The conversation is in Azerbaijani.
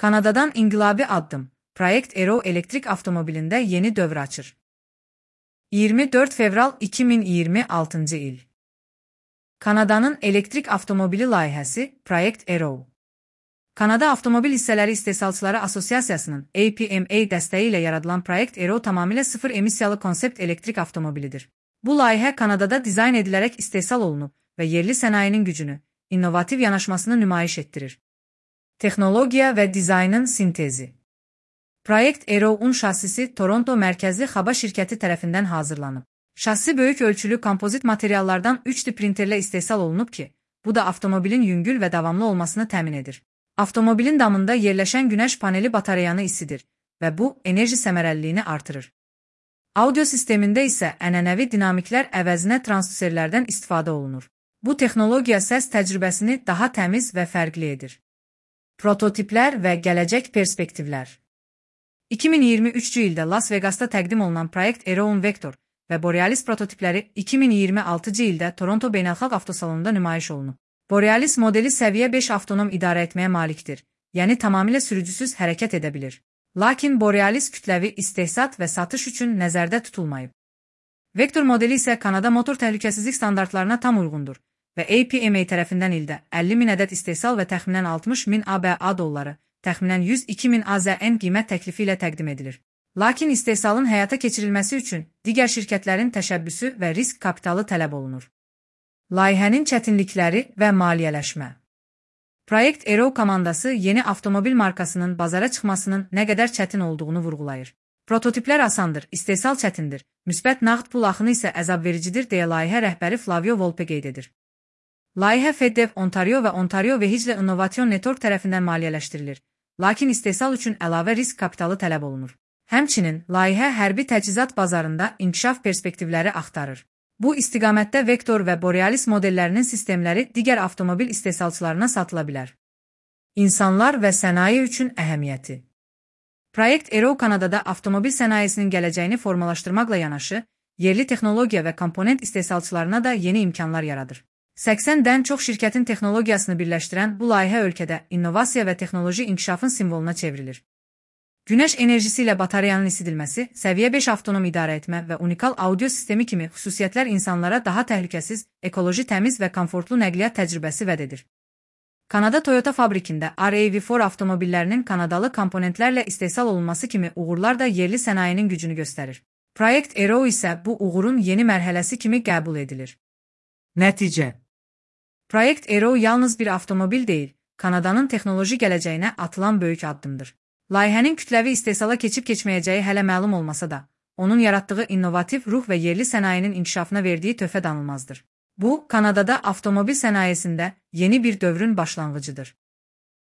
Kanadadan inqilabi addım. Project Arrow elektrik avtomobilində yeni dövr açır. 24 fevral 2026 il. Kanadanın elektrik avtomobili layihəsi Project Arrow. Kanada Avtomobil Hissələri İstehsalçıları Asosiasiyasının APMA dəstəyi ilə yaradılan Project Arrow tamamilə sıfır emissiyalı konsept elektrik avtomobilidir. Bu layihə Kanadada dizayn edilərək istehsal olunub və yerli sənayinin gücünü, innovativ yanaşmasını nümayiş etdirir. Texnologiya və dizaynın sintezi. Project Arrow-un şassisi Toronto mərkəzli Xaba şirkəti tərəfindən hazırlanıb. Şassi böyük ölçülü kompozit materiallardan 3D printerlə istehsal olunub ki, bu da avtomobilin yüngül və davamlı olmasını təmin edir. Avtomobilin damında yerləşən günəş paneli batareyanı isidir və bu, enerji səmərəliliyini artırır. Audio sistemində isə ənənəvi dinamiklər əvəzinə transduserlərdən istifadə olunur. Bu texnologiya səs təcrübəsini daha təmiz və fərqli edir. Prototiplər və gələcək perspektivlər. 2023-cü ildə Las Vegasda təqdim olunan Project Arrow-un Vector və Borealis prototipləri 2026-cı ildə Toronto Beynəlxalq Avtosalonunda nümayiş olunub. Borealis modeli səviyyə 5 avtonom idarə etməyə malikdir, yəni tamamilə sürücüsüz hərəkət edə bilir. Lakin Borealis kütləvi istehsat və satış üçün nəzərdə tutulmayıb. Vector modeli isə Kanada motor təhlükəsizlik standartlarına tam uyğundur və APMA tərəfindən ildə 50.000 ədəd istehsal və təxminən 60.000 ABA dolları, təxminən 102.000 AZN qiymət təklifi ilə təqdim edilir. Lakin istehsalın həyata keçirilməsi üçün digər şirkətlərin təşəbbüsü və risk kapitalı tələb olunur. Layihənin çətinlikləri və maliyyələşmə. Project Arrow komandası yeni avtomobil markasının bazara çıxmasının nə qədər çətin olduğunu vurğulayır. Prototiplər asandır, istehsal çətindir, müsbət nağd pul axını isə əzabvericidir deyə layihə rəhbəri Flavio Volpe qeyd edir. Layihə FedDev Ontario və Ontario Vehicle Innovation Network tərəfindən maliyyələşdirilir, lakin istehsal üçün əlavə risk kapitalı tələb olunur. Həmçinin, layihə hərbi təchizat bazarında inkişaf perspektivləri axtarır. Bu istiqamətdə Vector və Borealis modellərinin sistemləri digər avtomobil istehsalçılarına satıla bilər. İnsanlar və sənaye üçün əhəmiyyəti. Project Arrow Kanadada avtomobil sənayesinin gələcəyini formalaşdırmaqla yanaşı, yerli texnologiya və komponent istehsalçılarına da yeni imkanlar yaradır. 80-dən çox şirkətin texnologiyasını birləşdirən bu layihə ölkədə innovasiya və texnoloji inkişafın simvoluna çevrilir. Günəş enerjisi ilə batareyanın isidilməsi, səviyyə 5 avtonom idarə etmə və unikal audio sistemi kimi xüsusiyyətlər insanlara daha təhlükəsiz, ekoloji təmiz və komfortlu nəqliyyat təcrübəsi vəd edir. Kanada Toyota fabrikində RAV4 avtomobillərinin kanadalı komponentlərlə istehsal olunması kimi uğurlar da yerli sənayenin gücünü göstərir. Project Arrow isə bu uğurun yeni mərhələsi kimi qəbul edilir. Nəticə. Project Arrow yalnız bir avtomobil deyil, Kanadanın texnoloji gələcəyinə atılan böyük addımdır. Layihənin kütləvi istehsala keçib-keçməyəcəyi hələ məlum olmasa da, onun yaratdığı innovativ ruh və yerli sənayenin inkişafına verdiyi töhfə danılmazdır. Bu, Kanadada avtomobil sənayesində yeni bir dövrün başlanğıcıdır.